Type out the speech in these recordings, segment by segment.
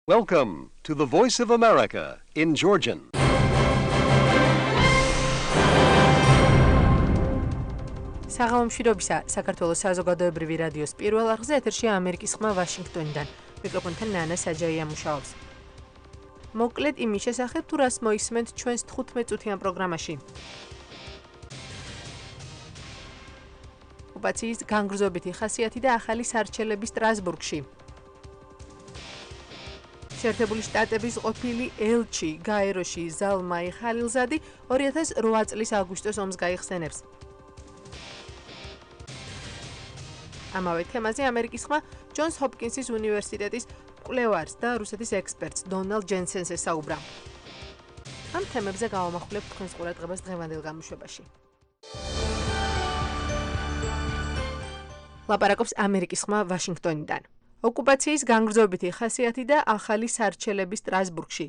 Welcome to the Voice of America in Georgian. საღამომშვიდობისა საქართველოს საზოგადოებრივი რადიოს პირველ არხზე ეთერშია ამერიკის ხმა ვაშინგტონიდან. მიკროფონთან ნანა საჯაია მუშაობს. მოკლედ იმის შესახებ თუ რას მოისმენთ ჩვენს 15 წუთიან პროგრამაში. ოკუპაციის განგრძობითი ხასიათი და ახალი სარჩელები სტრასბურგში. შეერთებული შტატების ყოფილი ელჩი გაეროში ზალმაი ხალილზადი 2008 წლის აგვისტოს ომს გაიხსენებს. ამავე თემაზე ამერიკის ხმა ჯონს ჰოპკინსის უნივერსიტეტის მკვლევარს და რუსეთის ექსპერტს დონალდ ჯენსენს ესაუბრა. ამ თემებზე გავამახვილებთ თქვენს ყურადღებას დღევანდელ გამოშვებაში. ლაპარაკობს ამერიკის ხმა ვაშინგტონიდან. ოკუპაციის განგრძობითი ხასიათი და ახალი სარჩელები სტრასბურგში.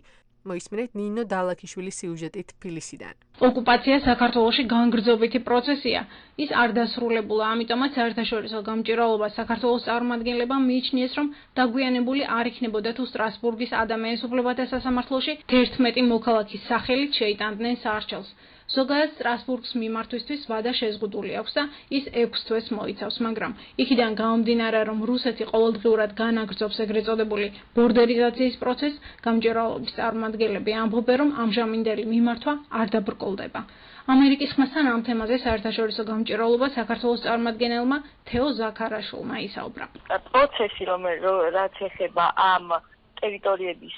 მოისმინეთ ნინო დალაქიშვილის სიუჟეტი თბილისიდან. ოკუპაცია საქართველოში განგრძობითი პროცესია. ის არ დასრულებულა, ამიტომაც საერთაშორისო გამჭირვალობა საქართველოს წარმომადგენლებამ მიიჩნიეს, რომ დაგვიანებული არ იქნებოდა თუ სტრასბურგის ადამიანის უფლებათა სასამართლოში 11 მოქალაქის სახელით შეიტანდნენ სარჩელს. ზოგადად სტრასბურგს მიმართვისთვის ვადა შეზღუდული აქვს და ის 6 თვეს მოიცავს, მაგრამ იქიდან გამომდინარე, რომ რუსეთი ყოველდღიურად განაგრძობს ეგრეთ წოდებული ბორდერიზაციის პროცესს, გამჭირვალობის წარმომადგენლები ამბობენ, რომ ამჟამინდელი მიმართვა არ დაბრკოლდება. ამერიკის ხმასთან ამ თემაზე საერთაშორისო გამჭირვალობა საქართველოს წარმომადგენელმა თეო ზაქარაშვილმა ისაუბრა. პროცესი, რაც ეხება ამ ტერიტორიების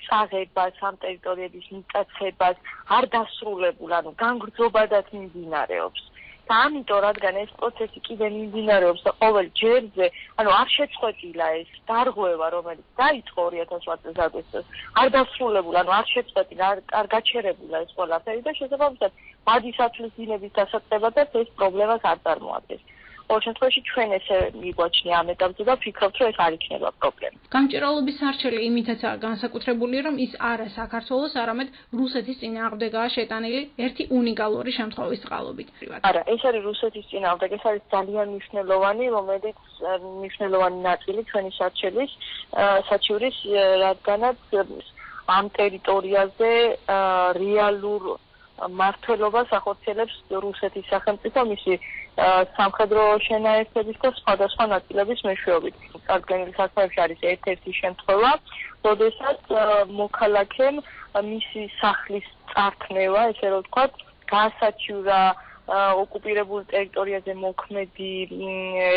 წაღებას, ამ ტერიტორიების მიტაცებას არ დასრულებულა, განგრძობადაც მიმდინარეობს. და ამიტომ, რადგან ეს პროცესი კიდე მიმდინარეობს და ყოველ ჯერზე, არ შეწყვეტილა ეს დარღვევა, რომელიც დაიწყო 2008 წელს აგვისტოს, არ დასრულებულა, არ შეწყვეტილა, არ გაჩერებულა ეს ყველაფერი და შესაბამისად, მადისათვლის დინების დასაწყებადაც ეს პრობლემას არ წარმოადგენს. ყოველ შემთხვევაში ჩვენ ესე მიგვაჩნია ამ ეტაპზე და ვფიქრობთ, რომ ეს არ იქნება პრობლემა. გამჭირვალობის სარჩელი იმითაცაა განსაკუთრებული, რომ ის არა საქართველოს, არამედ რუსეთის წინააღმდეგაა შეტანილი ერთი უნიკალური შემთხვევის წყალობით. არა, ეს არის რუსეთის წინააღმდეგ, ეს არის ძალიან მნიშვნელოვანი, რომელიც მნიშვნელოვანი ნაწილი ჩვენი საჩივრის, რადგანაც ამ ტერიტორიაზე რეალურ მართლობას ახორციელებს რუსეთის სახელმწიფო მისი სამხედრო შენაერთების და სხვადასხვა ნაწილების მეშვეობით. წარდგენილი საქმეებში არის ერთ-ერთი შემთხვევა, როდესაც მოქალაქემ მისი სახლის წარქმევა, ესე რომ ვთქვათ, გაასაჩივრა ოკუპირებულ ტერიტორიაზე მოქმედი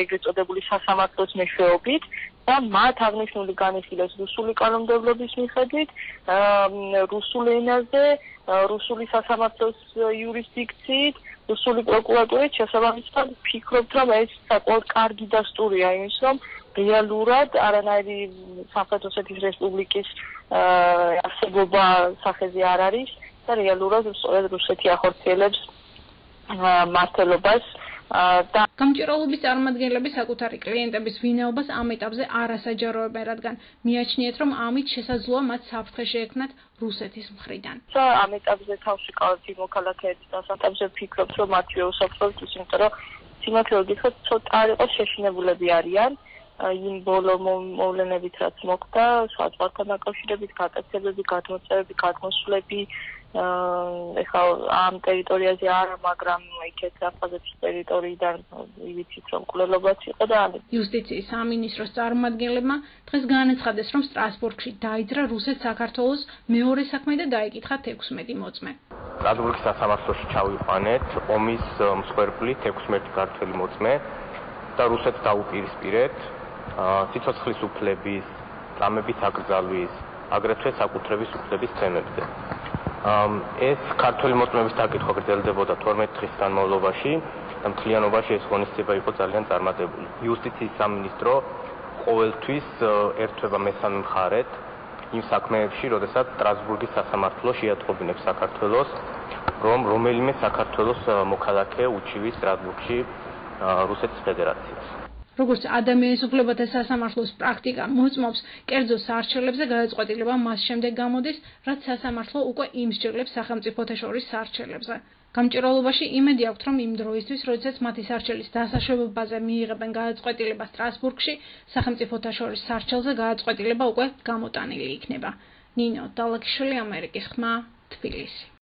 ეგრეთ წოდებული სასამართლოს მეშვეობით და მათ აღნიშნული განიხილეს რუსული კანონმდებლობის მიხედვით, რუსულ ენაზე, რუსული სასამართლოს იურისდიქციით, რუსული პროკურატურით, შესაბამისად ვფიქრობთ, რომ ეს საკმაოდ კარგი დასტურია იმის, რომ რეალურად არანაირი სამხრეთ ოსეთის რესპუბლიკის არსებობა სახეზე არ არის და რეალურად სწორედ რუსეთი ახორციელებს მართლობას და გამჭირვალობის წარმომადგენლები საკუთარი კლიენტების ვინაობას ამ ეტაპზე არ ასაჯაროებენ, რადგან მიაჩნიეთ, რომ ამით შესაძლოა მათ საფრთხე შეექმნათ რუსეთის მხრიდან. ამ ეტაპზე თავში ყავთ იმ მოქალაქეებს და ამ ვფიქრობთ, რომ მათი უსაფრთხოებით, იმიტომ რომ სიმართლე გითხრათ, ცოტა არ იყოს შეშინებულები არიან იმ ბოლო მოვლენებით, რაც მოხდა, საზღვართან დაკავშირებით, გატაცებები, გადმოწევები, გადმოსვლები, ეხლა ამ ტერიტორიაზე არა, მაგრამ იქეთ საფრანგეთის ტერიტორიიდან ვიცით, რომ მკვლელობაც იყო და იუსტიციის სამინისტროს წარმომადგენლებმა დღეს განაცხადეს, რომ სტრასბურგში დაიძრა რუსეთ-საქართველოს მეორე საქმე და დაიკითხა 16 მოწმე. სტრასბურგის სასამართლოში ჩავიყვანეთ ომის მსხვერპლით 16 ქართველი მოწმე და რუსეთს დაუპირისპირეთ სიცოცხლის უფლების, წამების აკრძალვის, აგრეთვე საკუთრების უფლების თემებზე. ეს ქართველი მოწმეების დაკითხვა გრძელდებოდა 12 დღის განმავლობაში და მთლიანობაში ეს ღონისძიება იყო ძალიან წარმატებული. იუსტიციის სამინისტრო ყოველთვის ერთვება მესამე მხარეთ იმ საქმეებში, როდესაც სტრასბურგის სასამართლო შეატყობინებს საქართველოს, რომ რომელიმე საქართველოს მოქალაქე უჩივის სტრასბურგში რუსეთის ფედერაციას. როგორც ადამიანის უფლებათა სასამართლოს პრაქტიკა მოწმობს, კერძო სარჩელებზე გადაწყვეტილება მას შემდეგ გამოდის, რაც სასამართლო უკვე იმსჯელებს სახელმწიფოთა შორის სარჩელებზე. გამჭირვალობაში იმედი აქვთ, რომ იმ დროისთვის, როდესაც მათი სარჩელის დასაშვებაზე მიიღებენ გადაწყვეტილება სტრასბურგში, სახელმწიფოთა შორის სარჩელზე გადაწყვეტილება უკვე გამოტანილი იქნება. ნინო დალაკიშვილი, ამერიკის ხმა, თბილისი.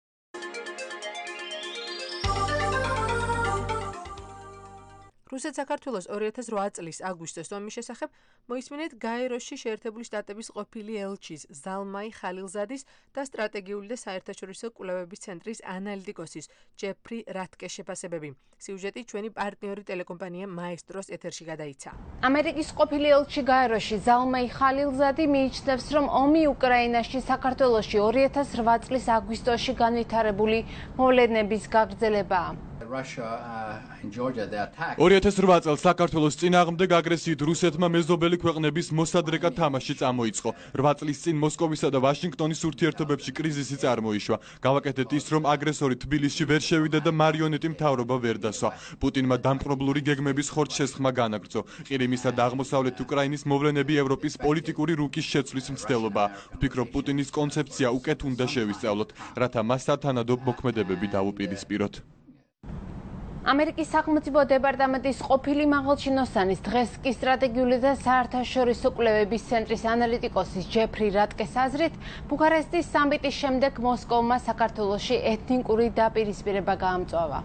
რუსეთ-საქართველოს 2008 წლის აგვისტოს ომის შესახებ მოისმინეთ გაეროში შეერთებული შტატების ყოფილი ელჩის ზალმაი ხალილზადის და სტრატეგიული და საერთაშორისო კვლევების ცენტრის ანალიტიკოსის ჯეფრი რატკეს შეფასებები. სიუჟეტი ჩვენი პარტნიორი ტელეკომპანია მაესტროს ეთერში გადაიცა. ამერიკის ყოფილი ელჩი გაეროში ზალმაი ხალილზადი მიიჩნევს, რომ ომი უკრაინაში საქართველოში 2008 წლის აგვისტოში განვითარებული მოვლენების გაგრძელებაა. 2008 წელს საქართველოს წინააღმდეგ აგრესიით რუსეთმა მეზობელი ქვეყნების მოსადრეკად თამაში წამოიწყო. 8 წლის წინ მოსკოვისა და ვაშინგტონის ურთიერთობებში კრიზისი წარმოიშვა. გავაკეთეთ ის, რომ აგრესორი თბილისში ვერ შევიდა და მარიონეტი მთავრობა ვერ დასვა. პუტინმა დამპყრობლური გეგმების ხორცშესხმა განაგრძო. ყირიმისა და აღმოსავლეთ უკრაინის მოვლენები ევროპის პოლიტიკური რუკის შეცვლის მცდელობაა. ვფიქრობ, პუტინის კონცეფცია უკეთ უნდა შევისწავლოთ, რათა მას სათანადო მოქმედებები დავუპირისპიროთ. ამერიკის სახელმწიფო დეპარტამენტის ყოფილი მაღალჩინოსანის დღეს კი სტრატეგიული და საერთაშორისო კვლევების ცენტრის ანალიტიკოსის ჯეფრი რატკეს აზრით, ბუქარესტის სამიტის შემდეგ მოსკოვმა საქართველოში ეთნიკური დაპირისპირება გაამწვავა.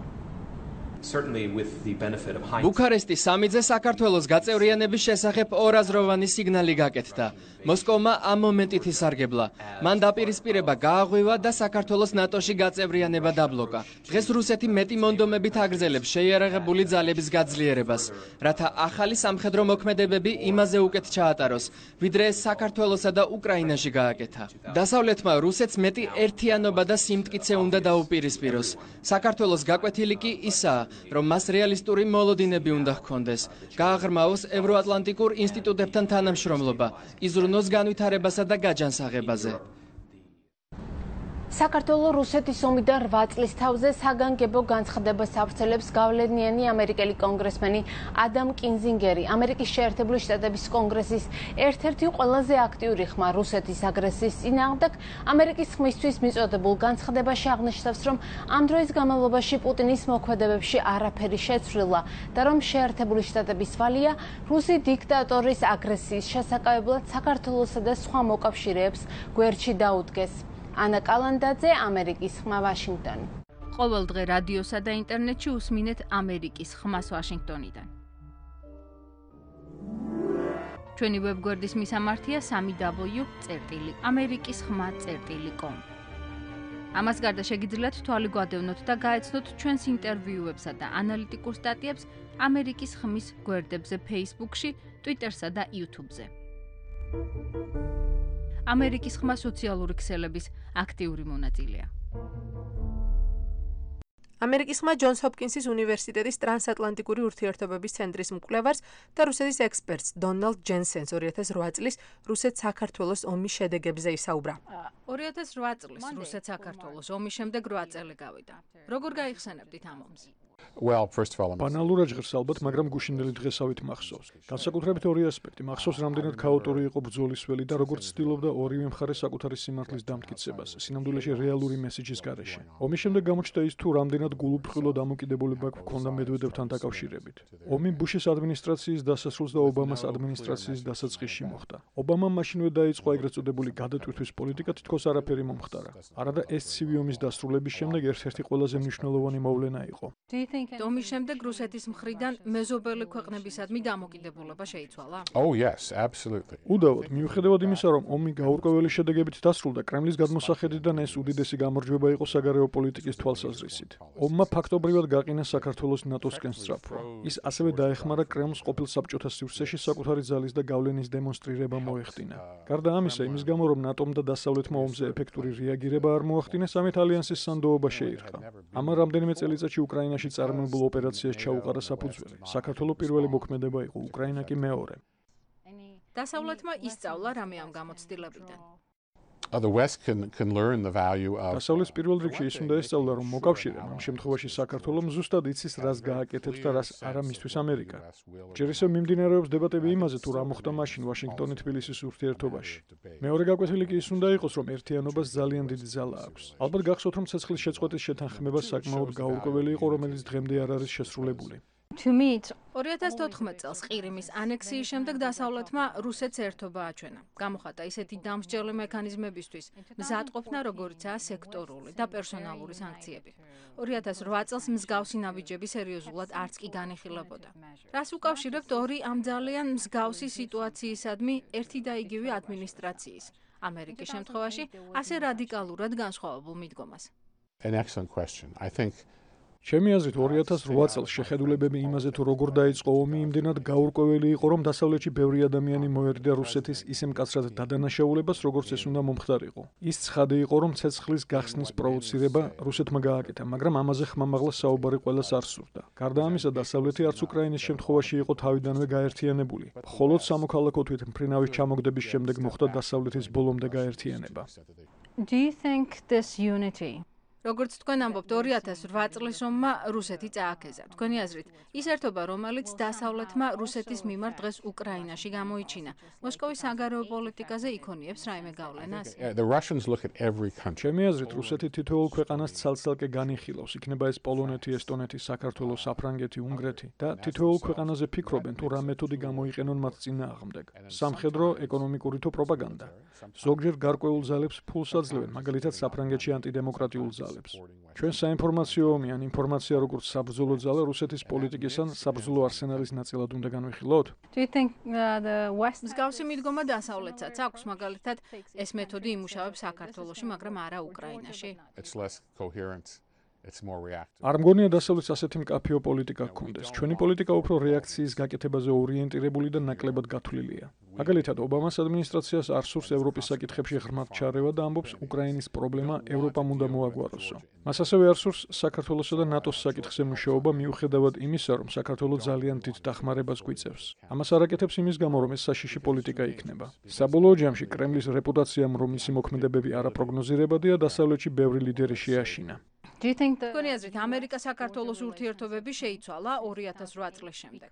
ბუქარესტის სამიტზე საქართველოს გაწევრიანების შესახებ ორაზროვანი სიგნალი გაკეთდა. მოსკოვმა ამ მომენტით ისარგებლა. მან დაპირისპირება გააღვივა და საქართველოს ნატოში გაწევრიანება დაბლოკა. დღეს რუსეთი მეტი მონდომებით აგრძელებს შეიარაღებული ძალების გაძლიერებას, რათა ახალი სამხედრო მოქმედებები იმაზე უკეთ ჩაატაროს, ვიდრე საქართველოსა და უკრაინაში გააკეთა. დასავლეთმა რუსეთს მეტი ერთიანობა და სიმტკიცე უნდა დაუპირისპიროს. საქართველოს გაკვეთილი კი ისაა, რომ მას რეალისტური მოლოდინები უნდა ჰქონდეს, გააღრმავოს ევროატლანტიკურ ინსტიტუტებთან თანამშრომლობა, იზრუნოს განვითარებასა და გაჯანსაღებაზე. საქართველოს რუსეთის ომიდან 8 წლის თავზე საგანგებო განცხადებას ავრცელებს გავლენიანი ამერიკელი კონგრესმენი ადამ კინზინგერი, ამერიკის შეერთებული შტატების კონგრესის ერთ-ერთი ყველაზე აქტიური ხმა რუსეთის აგრესიის წინააღმდეგ. ამერიკის ხმისთვის მიწოდებულ განცხადებაში აღნიშნავს, რომ ამ დროის განმავლობაში პუტინის მოქმედებებში არაფერი შეცვლილა და რომ შეერთებული შტატების ვალია რუსი დიქტატორის აგრესიის შესაკავებლად საქართველოსა და სხვა მოკავშირეებს გვერდში დაუდგეს. ანა კალანდაძე, ამერიკის ხმა, ვაშინგტონი. ყოველ დღე რადიოსა და ინტერნეტში უსმინეთ ამერიკის ხმას ვაშინგტონიდან. ჩვენი ვებგვერდის მისამართია www.amerikiskhma.com. ამას გარდა შეგიძლიათ თვალი გვადევნოთ და გაეცნოთ ჩვენს ინტერვიუებსა და ანალიტიკურ სტატიებს ამერიკის ხმის გვერდებზე Facebook-ში, Twitter-სა და YouTube-ზე. ამერიკის ხმა სოციალური ქსელების აქტიური მონაწილეა. ამერიკის ხმა ჯონს ჰოპკინსის უნივერსიტეტის ტრანსატლანტიკური ურთიერთობების ცენტრის მკვლევარს და რუსეთის ექსპერტს დონალდ ჯენსენს 2008 წლის რუსეთ-საქართველოს ომის შედეგებზე ისაუბრა. 2008 წლის რუსეთ-საქართველოს ომის შემდეგ 8 წელი გავიდა. როგორ გაიხსენებდით ამ ომს? ბანალურად ჟღერს ალბათ, მაგრამ გუშინდელი დღესავით მახსოვს. განსაკუთრებით ორი ასპექტი. მახსოვს, რამდენად ქაოტური იყო ბრძოლის ველი და როგორც ცდილობდა ორივე მხარე საკუთარი სიმართლის დამტკიცებას, სინამდვილეში რეალური მესიჯის გარეშე. ომის შემდეგ გამოჩნდა ის, თუ რამდენად გულუბრყვილო დამოკიდებულება ჰქონდა მედვედევთან დაკავშირებით. ომი ბუშის ადმინისტრაციის დასასრულს და ობამას ადმინისტრაციის დასაწყისში მოხდა. ობამამ მაშინვე დაიწყო ეგრეთ წოდებული გადატვირთვის პოლიტიკა, თითქოს არაფერი მომხდარა. არადა ეს ცივი ომის დასრულების შემდეგ ერთ-ერთი ყველაზე მნიშვნელოვანი მოვლენა იყო. ომის შემდეგ რუსეთის მხრიდან მეზობელი ქვეყნებისადმი დამოკიდებულება შეიცვალა? უდავოდ, მიუხედავად იმისა, რომ ომი გაურკვეველი შედეგებით დასრულდა, კრემლის გადმოსახედიდან ეს უდიდესი გამარჯვება იყო საგარეო პოლიტიკის თვალსაზრისით. ომმა ფაქტობრივად გაყინა საქართველოს ნატოსკენ სწრაფვა. ის ასევე დაეხმარა კრემლს ყოფილ საბჭოთა სივრცეში საკუთარი ძალის და გავლენის დემონსტრირება მოეხდინა. გარდა ამისა, იმის გამო, რომ ნატომ და დასავლეთმა ომზე ეფექტური რეაგირება არ მოახდინეს, ამით ალიანსის სანდოობა შეირყა. ამან რამდენიმე წელიწადში უკრაინაში წარმოებულ ოპერაციას ჩაუყარა საფუძველი. საქართველოს პირველი მოქმედება იყო, უკრაინა კი მეორე. დასავლეთმა ისწავლა რამე ამ გამოცდილებიდან? The West can learn the value of დასავლეთის პირველ რიგში ის უნდა ესწავლა, რომ მოკავშირე ამ შემთხვევაში საქართველოს ზუსტად იცის, რას გააკეთებს და რას არა მისთვის ამერიკა. ჯერ ისევ მიმდინარეობს დებატები იმაზე, თუ რა მოხდა მაშინ ვაშინგტონი-თბილისის ურთიერთობაში. მეორე გაკვეთილი კი ის უნდა იყოს, რომ ერთიანობას ძალიან დიდი ძალა აქვს. ალბათ გახსოვთ, რომ ცეცხლის შეწყვეტის შეთანხმება საკმაოდ გაურკვეველი იყო, რომელიც დღემდე არ არის შესრულებული. 2014 წელს ყირიმის ანექსიის შემდეგ დასავლეთმა რუსეთს ერთობა აჩვენა. გამოხატა ისეთი დამსჯერლი მექანიზმებისთვის მზადყოფნა, როგორიცაა სექტორული და პერსონალური სანქციები. 2008 წელს მსგავსი ნაბიჯები სერიოზულად არც კი განიხილებოდა. რას უკავშირებთ ორი ამ ძალიან მსგავსი სიტუაციისადმი ერთი და იგივე ადმინისტრაციის, ამერიკის შემთხვევაში ასე რადიკალურად განსხვავებულ მიდგომას? An excellent question. I think ჩემი აზრით 2008 წელს შეხედულებები იმაზე თუ როგორ დაიწყო ომი იმდენად გაურკვეველი იყო, რომ დასავლეთში ბევრი ადამიანი მოერიდა რუსეთის ისე მკაცრად დადანაშაულებას, როგორც ეს უნდა მომხდარიყო. ის ცხადი იყო, რომ ცეცხლის გახსნის პროვოცირება რუსეთმა გააკეთა, მაგრამ ამაზე ხმამაღლა საუბარი ყველას არ სურდა. გარდა ამისა, დასავლეთი არც უკრაინის შემთხვევაში იყო თავიდანვე გაერთიანებული. მხოლოდ სამოქალაქო თვით მფრინავის ჩამოგდების შემდეგ მოხდა დასავლეთის ბოლომდე გაერთიანება. Do you think this unity როგორც თქვენ ამბობთ 2008 წლის ომმა რუსეთი წააქეზა. თქვენი აზრით, ის ერთობა, რომელიც დასავლეთმა რუსეთის მიმართ დღეს უკრაინაში გამოიჩინა, მოსკოვის საგარეო პოლიტიკაზე იქონიებს რაიმე გავლენას? the Russians look at every country. ჩემი აზრით, რუსეთი თითოეულ ქვეყანას ცალ-ცალკე განიხილავს, იქნება ეს პოლონეთი, ესტონეთი, საქართველო, საფრანგეთი, უნგრეთი და თითოეულ ქვეყანაზე ფიქრობენ, თუ რა მეთოდი გამოიყენონ მათ წინააღმდეგ. სამხედრო, ეკონომიკური თუ პროპაგანდა. ზოგჯერ გარკვეულ ძალებს ფულს აძლევენ, მაგალითად საფრანგეთში ანტიდემოკრატიულ ძალებს. ჩვენ საინფორმაციო ომი ან ინფორმაცია როგორც საბრძოლო ძალა რუსეთის პოლიტიკის ან საბრძოლო არსენალის ნაწილად უნდა განვიხილოთ? მსგავსი მიდგომა დასავლეთსაც აქვს, მაგალითად ეს მეთოდი იმუშავებს საქართველოში, მაგრამ არა უკრაინაში. არ მგონია დასავლეთს ასეთი მკაფიო პოლიტიკა ჰქონდეს. ჩვენი პოლიტიკა უფრო რეაქციის გაკეთებაზე ორიენტირებული და ნაკლებად გათვლილია. მაგალითად, ობამას ადმინისტრაციას არ სურს ევროპის საკითხებში ღრმად ჩარევა და ამბობს, უკრაინის პრობლემა ევროპამ უნდა მოაგვაროსო. მას ასევე არ სურს საქართველოსა და ნატოს საკითხზე მუშაობა მიუხედავად იმისა, რომ საქართველო ძალიან დიდ დახმარებას გვიწევს. ამას არ აკეთებს იმის გამო, რომ ეს საშიში პოლიტიკა იქნება. საბოლოო ჯამში კრემლის რეპუტაციამ, რომ მისი მოქმედებები არაპროგნოზირებადია, დასავლეთში ბევრი ლიდერი შეაშინა. თქვენი აზრით, ამერიკა-საქართველოს ურთიერთობები შეიცვალა 2008 წლის შემდეგ?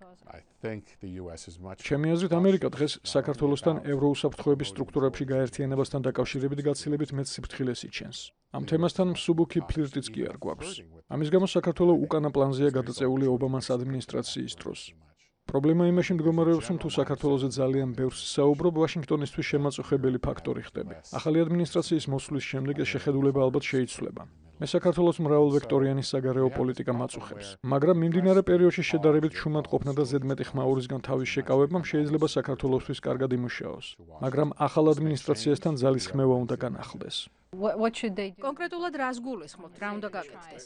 ჩემი აზრით, ამერიკა დღეს საქართველოსთან ევროუსაფრთხოების სტრუქტურებში გაერთიანებასთან დაკავშირებით გაცილებით მეტ სიფრთხილეს იჩენს. ამ თემასთან მსუბუქი ფლირტიც კი არ გვაქვს. ამის გამო საქართველო უკანა პლანზეა გადაწეული ობამას ადმინისტრაციის დროს. პრობლემა იმაში მდგომარეობს, რომ თუ საქართველოზე ძალიან ბევრს საუბრობ, ვაშინგტონისთვის შემაწუხებელი ფაქტორი ხდები. ახალი ადმინისტრაციის მოსვლის შემდეგ ეს შეხედულება ალბათ შეიცვლება. მე საქართველოს მრავალვექტორიანი საგარეო პოლიტიკა მაწუხებს, მაგრამ მიმდინარე პერიოდში შედარებით შუმად ყოფნა და ზედმეტი ხმაურისგან თავის შეკავებამ შეიძლება საქართველოსთვის კარგად იმუშაოს, მაგრამ ახალ ადმინისტრაციასთან ძალის ხმევა უნდა განახლდეს. კონკრეტულად რას გულისხმობთ, რა უნდა გაკეთდეს?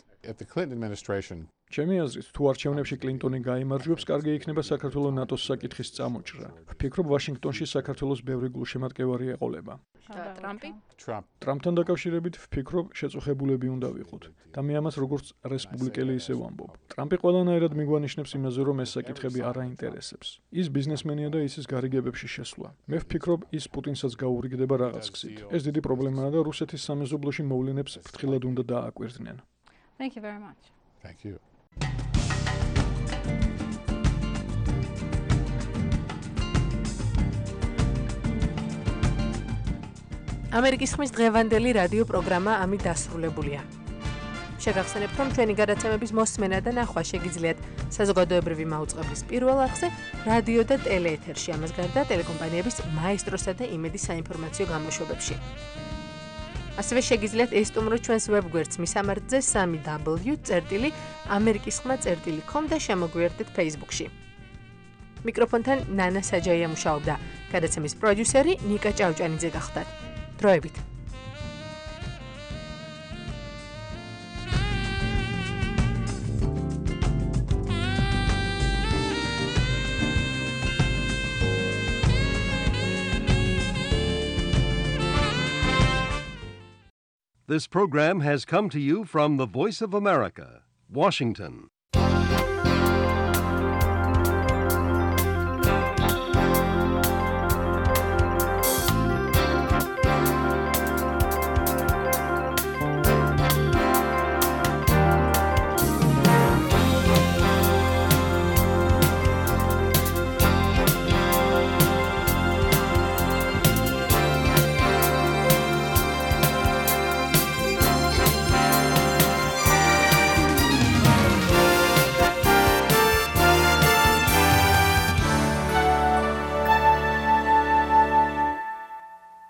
ჩემი აზრით, თუ არჩევნებში კლინტონი გაიმარჯვებს, კარგი იქნება საქართველოს ნატოს საკითხის წამოჭრა. ვფიქრობ, ვაშინგტონში საქართველოს ბევრი გულშემატკივარი ეყოლება. ტრამპი? ტრამპთან დაკავშირებით ვფიქრობ, შეწუხებულები უნდა ვიყოთ და მე ამას როგორც რესპუბლიკელი ისე ვამბობ. ტრამპი ყველანაირად მიგვანიშნებს იმაზე, რომ ეს საკითხები არ აინტერესებს. ის ბიზნესმენია და ისის გარიგებებში შესვლა. მე ვფიქრობ, ის პუტინსაც გაურიგდება რაღაც გზით. ეს დიდი პრობლემაა და რუსეთის სამეზობლოში მოვლენებს ფრთხილად უნდა დააკვირდნენ. Thank you very much. Thank you. ამერიკის ხმის დღევანდელი რადიო პროგრამა ამით დასრულებულია. შეგახსენებთ, რომ ჩვენი გადაცემების მოსმენა და ნახვა შეგიძლიათ საზოგადოებრივი მაუწყებლის პირველ არხზე, რადიო და ტელეეთერში, ამას გარდა ტელეკომპანიების მაესტროსა და იმედის საინფორმაციო გამოშვებებში. ასევე შეგიძლიათ ესტუმროთ ჩვენს ვებგვერდს მისამართზე 3w.amerikiskhma.com და შემოგვიერთდეთ Facebook-ში. მიკროფონთან ნანა საჯაია მუშაობდა. გადაცემის პროდიუსერი ნიკა ჭავჭანიძე გახდათ. დროებით. This program has come to you from the Voice of America, Washington.